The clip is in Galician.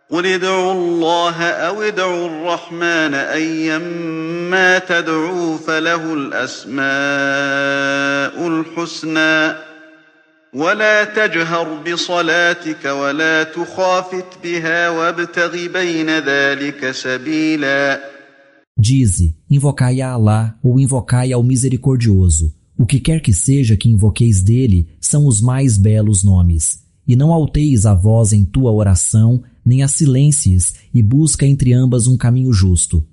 قل ادعوا الله أو ادعوا الرحمن أيما تدعوا فله الأسماء الحسنى ولا تجهر بصلاتك ولا تخافت بها وابتغ بين ذلك سبيلا. Dize, invocai a Alá ou invocai ao Misericordioso. O que quer que seja que invoqueis dele são os mais belos nomes. E não alteis a voz em tua oração, nem a silencies, e busca entre ambas um caminho justo.